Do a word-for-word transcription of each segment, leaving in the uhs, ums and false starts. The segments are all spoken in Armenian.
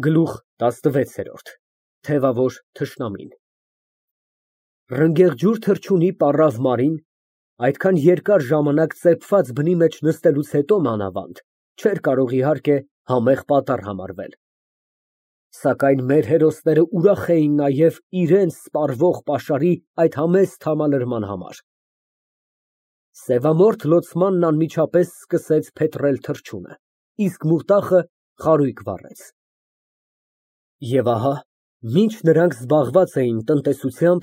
Գլուխ տասնվեց։ Թևավոր թշնամին Ռնգեղջյուր թռչունի պառավ Մարին այդքան երկար ժամանակ ծեփված բնի մեջ նստելուց հետո մանավանդ չէր կարող, իհարկե, համեղ պատառ համարվել, սակայն մեր հերոսները ուրախ էին նաև իրենց սպառվող պաշարի այդ համեստ համալրման համար։ Սևամորթ լոցմանն անմիջապես սկսեց փետրել թռչունը, իսկ մուրտախը խարույկ վառեց։ Եվ ահա, մինչ նրանք զբաղված էին տնտեսությամբ,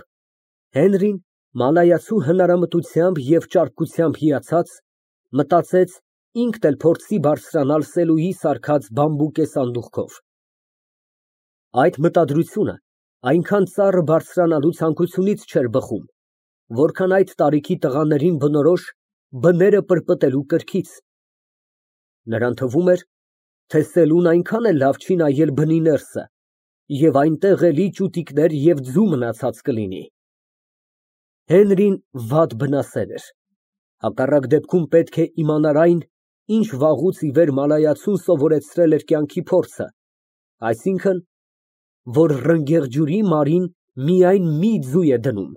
Հենրին մանայացու հնարամտությամբ և ճարպկությամբ հիացած, մտածեց ինքն էլ փորձի բարձրանալ Սելուի սարքած բամբուկե սանդուղքով։ Այդ մտադրությունը այնքան ծառը բարձրանալու ցանկությունից չէր բխում, որքան այդ տարիքի տղաներին բնորոշ բները պրպտելու կրքից։ Նրան թվում էր, թե Սելուն այնքան էլ լավ չի նայել բնի ներսը, և այնտեղ էլի ճուտիկներ և ձու մնացած կլինի։ Հենրին վատ բնասեր էր, հակառակ դեպքում պետք է իմանար այն, ինչ վաղուց ի վեր մանայացուն սովորեցրել էր կյանքի փորձը, այսինքն, որ ռնգեղջյուրի մարին միայն մի ձու է դնում,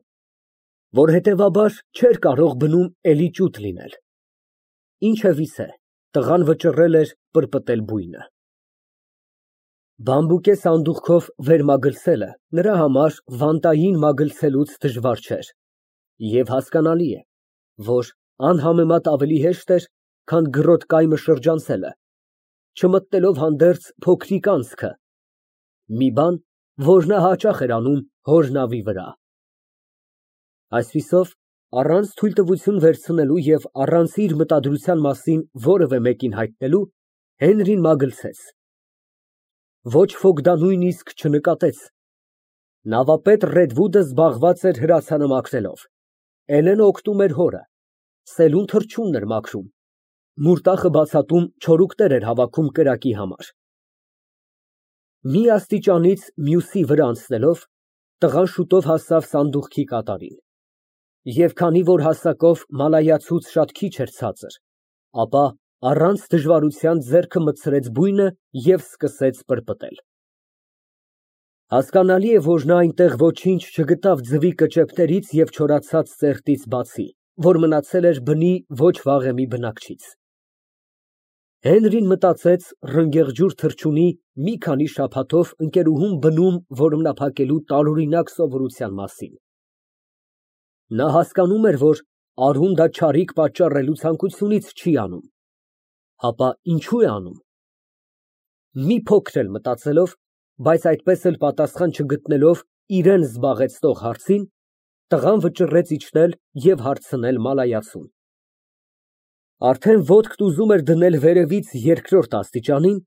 որ հետևաբար չէր կարող բնում էլի ճուտ լինել։ Ինչևիցե, տղան վճռել էր պրպտել բույնը։ Բամբուկե սանդուղքով վեր մագլցելը նրա համար վանտային մագլցելուց դժվար չէր, և հասկանալի է, որ անհամեմատ ավելի հեշտ էր, քան գրոտ կայմը շրջանցելը, չմտնելով հանդերձ փոքրիկ անցքը, մի բան, որ նա հաճախ էր անում հոր նավի վրա։ Այսպիսով, առանց թույլտվություն վերցնելու և առանց իր մտադրության մասին որևէ մեկին հայտնելու, Հենրին մագլցեց։ Ոչ ոք դա նույնիսկ չնկատեց։ Նավապետ Ռեդվուդը զբաղված էր հրացանը մաքրելով, Էլենը օգնում էր հորը, Սելուն թռչունն էր մաքրում, մուրտախը բացատում չորուկներ էր հավաքում կրակի համար։ Մի աստիճանից մյուսի վրա անցնելով, տղան շուտով հասավ սանդուղքի կատարին, և քանի որ հասակով մալայացուց շատ քիչ էր ցածր, ապա առանց դժվարության ձեռքը մտցրեց բույնը և սկսեց պրպտել։ Հասկանալի է, որ նա այնտեղ ոչինչ չգտավ ձվի կճեպներից և չորացած ծերտից բացի, որ մնացել էր բնի ոչ վաղեմի բնակչից։ Հենրին մտածեց ռնգեղջյուր թռչունի մի քանի շաբաթով ընկերուհուն բնում որմնափակելու տարօրինակ սովորության մասին։ Նա հասկանում էր, որ արհուն դա չարիք պատճառելու ցանկությունից չի անում, ապա ինչո՞ւ է անում։ Մի փոքր էլ մտածելով, բայց այդպես էլ պատասխան չգտնելով իրան զբաղեցնող հարցին, տղան վճռեց իջնել և հարցնել մալայացուն։ Արդեն ոտքն ուզում էր դնել վերևից երկրորդ աստիճանին,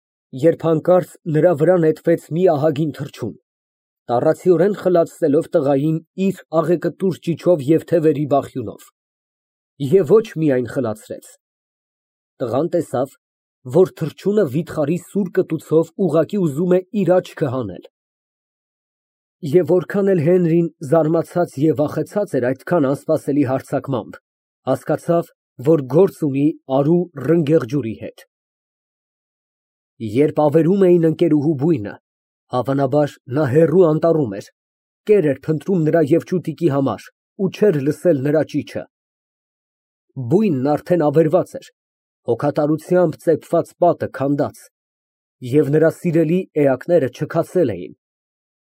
երբ հանկարծ նրա վրա նետվեց մի ահագին թռչուն, տառացիորեն խլացնելով տղային իր աղեկտուր ճիչով և թևերի բախյունով, և ոչ միայն խլացրեց։ Տղան տեսավ, որ թռչունը վիթխարի սուր կտուցով ուղղակի ուզում է իր աչքը հանել։ Եվ որքան էլ Հենրին զարմացած և վախեցած էր այդքան անսպասելի հարձակմամբ, հասկացավ, որ գործ ունի արու ռնգեղջյուրի հետ։ Երբ ավերում էին ընկերուհու բույնը, հավանաբար նա հեռու անտառում էր, կեր էր փնտրում նրա և ճուտիկի համար ու չէր լսել նրա ճիչը։ Բույնն արդեն ավերված էր, հոգատարությամբ ծեփված պատը քանդած, և նրա սիրելի էակները չքացել էին,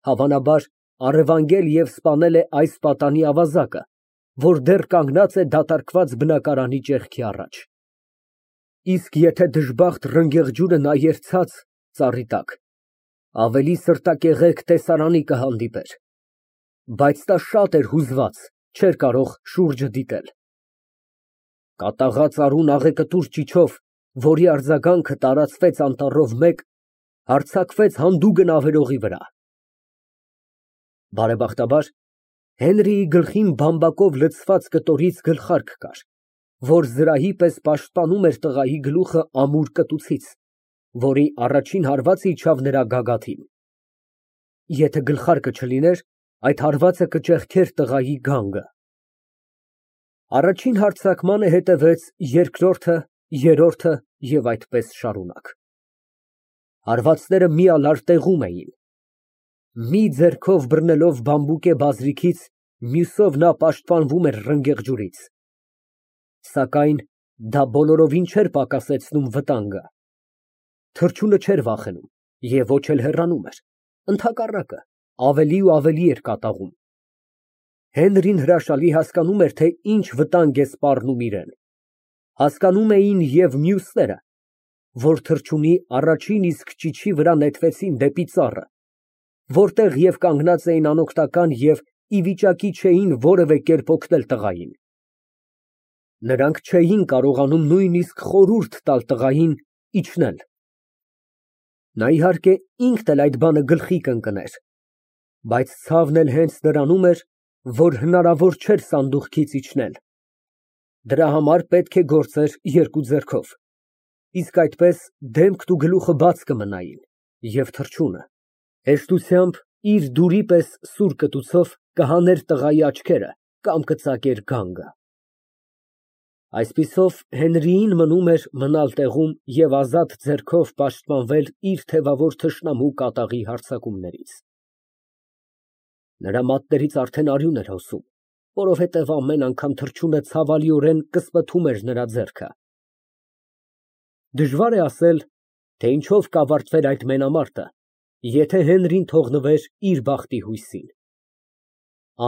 հավանաբար առևանգել և սպանել է այս պատանի ավազակը, որ դեռ կանգնած է դատարկված բնակարանի ճեղքի առաջ։ Իսկ եթե դժբախտ ռնգեղջյուրը նայեր ցած, ծառի տակ, ավելի սրտակեղեկ տեսարանի կհանդիպեր, բայց նա շատ էր հուզված, չէր կարող շուրջը դիտել։ Կատաղած արուն աղեկտուր ճիչով, որի արձագանքը տարածվեց անտառով մեկ, հարձակվեց հանդուգն ավերողի վրա։ Բարեբախտաբար, Հենրիի գլխին բամբակով լցված կտորից գլխարկ կար, որ զրահի պես պաշտպանում էր տղայի գլուխը ամուր կտուցից, որի առաջին հարվածը իջավ նրա գագաթին։ Եթե գլխարկը չլիներ, այդ հարվածը կճեղքեր տղայի գանգը։ Առաջին հարձակմանը հետևեց երկրորդը, երրորդը և այդպես շարունակ։ Հարվածները միալար տեղում էին։ Մի ձեռքով բռնելով բամբուկե բազրիքից, մյուսով նա պաշտպանվում էր ռնգեղ ջուրից։ Սակայն դա բոլորովին չէր պակասեցնում վտանգը։ Թռչունը չէր վախենում և ոչ էլ հեռանում էր, ընդհակառակը, ավելի ու ավելի էր կատաղում։ Հենրին հրաշալի հասկանում էր, թե ինչ վտանգ է սպառնում իրան։ Հասկանում էին և մյուսները, որ թռչունի առաջին իսկ ճիչի վրա նետվեցին դեպի ծառը, որտեղ և կանգնած էին անօգնական և ի վիճակի չէին որևէ կերպ օգնել տղային։ Նրանք չէին կարողանում նույնիսկ խորհուրդ տալ տղային իջնել։ Նա, իհարկե, ինքն էլ այդ բանը գլխի կընկներ, բայց ցավն էլ հենց նրանում էր, որ հնարավոր չէր սանդուղքից իջնել։ Դրա համար պետք է գործեր երկու ձեռքով, իսկ այդպես դեմքն ու գլուխը բաց կմնային, և թռչունը հեշտությամբ իր դուրի պես սուր կտուցով կհաներ տղայի աչքերը կամ կծակեր գանգը։ Այսպիսով Հենրիին մնում էր մնալ տեղում և ազատ ձեռքով պաշտպանվել իր թևավոր թշնամու կատաղի հարձակումներից։ Նրա մատներից արդեն արյուն էր հոսում, որովհետև ամեն անգամ թռչունը ցավալիորեն կսպթում էր նրա ձեռքը։ Դժվար է ասել, թե ինչով կավարտվեր այդ մենամարտը, եթե Հենրին թողնվեր իր բախտի հույսին։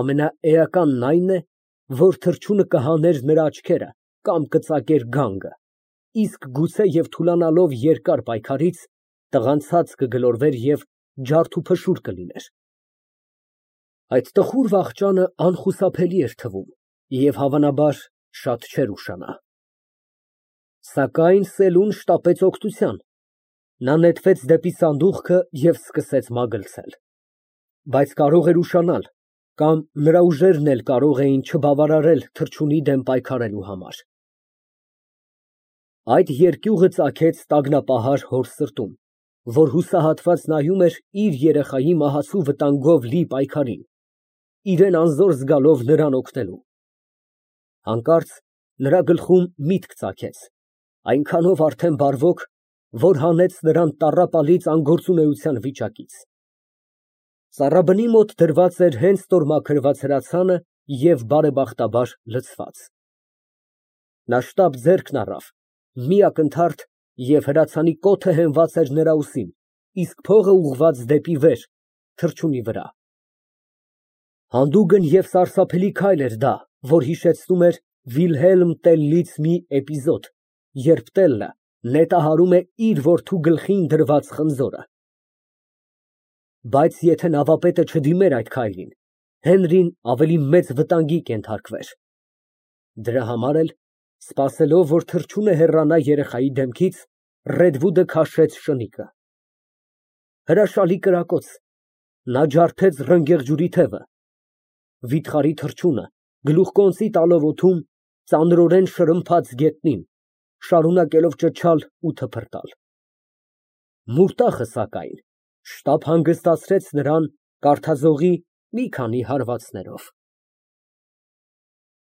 Ամենաէականն այն է, որ թռչունը կհաներ նրա աչքերը կամ կծակեր գանգը, իսկ գուցե և թուլանալով երկար պայքարից, տղան ցած կգլորվեր և ջարդուփշուր կլիներ։ Այդ տխուր վախճանը անխուսափելի էր թվում և, հավանաբար, շատ չէր ուշանա։ Սակայն սելուն շտապեց օգնության։ Նա նետվեց դեպի սանդուղքը և սկսեց մագլցել։ Բայց կարող էր ուշանալ, կամ նրա ուժերն էլ կարող էին չբավարարել թռչունի դեմ պայքարելու համար։ Այդ երկյուղը ծագեց տագնապահար հոր սրտում, որ հուսահատված նայում էր իր երեխայի մահացու վտանգով լի պայքարին, իրան անզոր զգալով նրան օգնելու։ Հանկարծ նրա գլխում միտք ծագեց, այնքանով արդեն բարվոք, որ հանեց նրան տառապալից անգործունեության վիճակից։ Ծառաբնի մոտ դրված էր հենց տորմաքրված հրացանը և բարեբախտաբար լցված։ Նա շտապ ձեռքն առավ, մի ակնթարթ, և հրացանի կոթը հենված էր նրա ուսին, իսկ փողը ուղղված դեպի վեր, թռչունի վրա։ Հանդուգն և սարսափելի քայլ էր դա, որ հիշեցնում էր Վիլհելմ Տելլից մի էպիզոդ, երբ Տելլը նետահարում է իր որդու գլխին դրված խնձորը։ Բայց եթե նավապետը չդիմեր այդ քայլին, Հենրին ավելի մեծ վտանգի կենթարկվեր։ Դրա համար էլ, սպասելով, որ թռչունը հեռանա երեխայի դեմքից, Ռեդվուդը քաշեց շնիկը։ Հրաշալի կրակոց, նա ջարդեց ռնգեղ թևը։ Վիթխարի թռչունը, գլուխկոնծի տալով օդում, ծանրորեն շրմփաց գետնին, շարունակելով ճչալ ու թփրտալ։ Մուրտախը, սակայն, շտապ հանգստացրեց նրան կարդաձողի մի քանի հարվածներով։